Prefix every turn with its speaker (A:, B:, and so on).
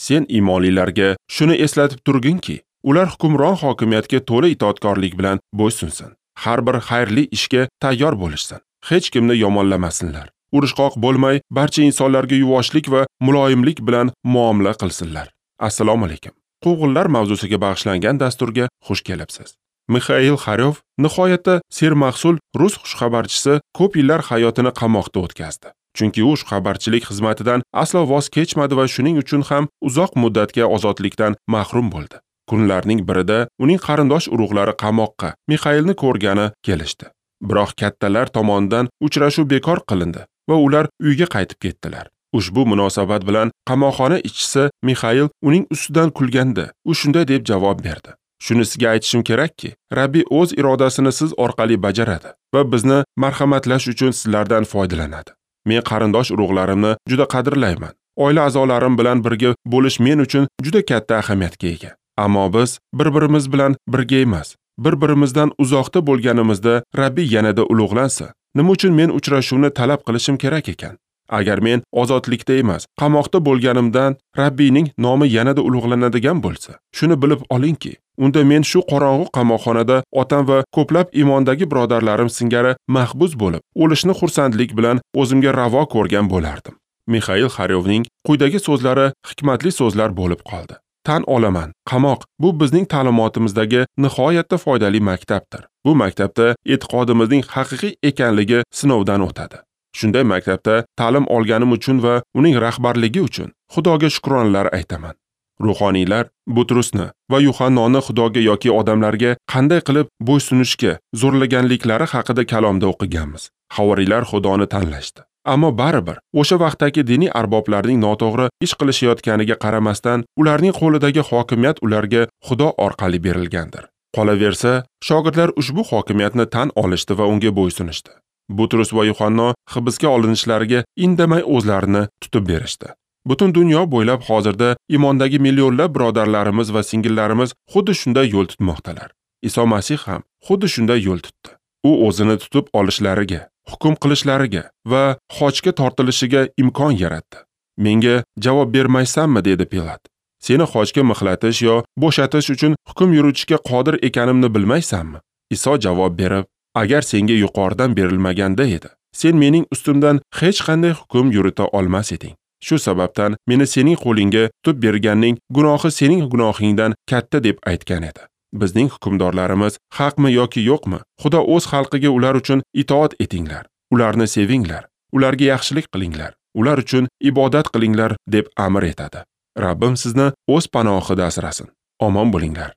A: Sen iymonlilarga shuni eslatib turginki, ular hukmron hokimiyatga to'la itoatkorlik bilan bo'ysunsin. Har bir xayrli ishga tayyor bo'lishsin. Hech kimni yomonlamasinlar. Urushqoq bo'lmay, barcha insonlarga yuvoshlik va muloyimlik bilan muomala qilsinlar. Assalomu alaykum. Quvg'inlar mavzusiga bag'ishlangan dasturga xush kelibsiz. Mixail Xaryov nihoyatda sermahsul rus xushxabarchisi ko'p yillar hayotini qamoqda o'tkazdi. Chunki u xushxabarchilik xizmatidan aslo voz kechmadi va shuning uchun ham uzoq muddatga ozodlikdan mahrum bo'ldi. Kunlarning birida uning qarindosh urug'lari qamoqqa Mixailni ko'rgani kelishdi. Biroq kattalar tomonidan uchrashuv bekor qilindi va ular uyga qaytib ketdilar. Ushbu munosabat bilan qamoqxona ishchisi Mixail uning ustidan kulganda, u shunday deb javob berdi: "Shuni sizga aytishim kerakki, Rabbi o'z irodasini siz orqali bajaradi va bizni marhamatlash uchun sizlardan foydalanadi. Men qarindosh urug'larimni juda qadrlayman. Oila a'zolarim bilan birga bo'lish men uchun juda katta ahamiyatga ega. Ammo biz bir-birimiz bilan birga emas, bir-birimizdan uzoqda bo'lganimizda Rabbi yanada ulug'lansa, nima uchun men uchrashuvni talab qilishim kerak ekan? Agar men ozodlikda emas, qamoqda bo'lganimdan Rabbiyning nomi yanada ulug'lanadigan bo'lsa, shuni bilib olingki, unda men shu qorong'u qamoqxonada otam va ko'plab iymondagi birodarlarim singari mahbus bo'lib, o'lishni xursandlik bilan o'zimga ravo ko'rgan bo'lardim." Mixail Xaryovning quyidagi so'zlari hikmatli so'zlar bo'lib qoldi. Tan olaman, qamoq bu bizning ta'limotimizdagi nihoyatda foydali maktabdir. Bu maktabda e'tiqodimizning haqiqiy ekanligi sinovdan o'tadi. Shunday maktabda ta'lim olganim uchun va uning rahbarligi uchun Xudoga shukronalar aytaman. Ruhoniylar Butrusni va Yuhannoni Xudoga yoki odamlarga qanday qilib bo'ysunishga zo'rlaganliklari haqida kalomda o'qiganmiz. Havoriylar Xudoni tanlashdi. Ammo baribir o'sha vaqtdagi diniy arboblarning noto'g'ri ish qilishayotganiga qaramasdan, ularning qo'lidagi hokimiyat ularga Xudo orqali berilgandir. Qolaversa, shogirdlar ushbu hokimiyatni tan olishdi va unga bo'ysunishdi. Butrus va Yuhanno hibsga olinishlariga indamay o'zlarini tutib berishdi. Butun dunyo bo'ylab hozirda iymondagi millionlab birodarlarimiz va singillarimiz xuddi shunday yo'l tutmoqdalar. Iso Masih ham xuddi shunday yo'l tutdi. U o'zini tutib olishlariga, hukm qilishlariga va xochga tortilishiga imkon yaratdi. "Menga javob bermaysanmi?" dedi Pilat. "Seni xochga mixlatish yo bo'shatish uchun hukm yuritishga qodir ekanimni bilmaysanmi?" Iso javob berib: "Agar senga yuqoridan berilmaganda edi, sen mening ustimdan hech qanday hukm yurita olmas eding. Shu sababdan meni sening qo'lingga tutib berganning gunohi sening gunohingdan katta" deb aytgan edi. Bizning hukmdorlarimiz haqmi yoki yo'qmi? Xudo o'z xalqiga ular uchun itoat etinglar, ularni sevinglar, ularga yaxshilik qilinglar, ular uchun ibodat qilinglar deb amr etadi. Rabbim sizni o'z panohida asrasin. Omon bo'linglar.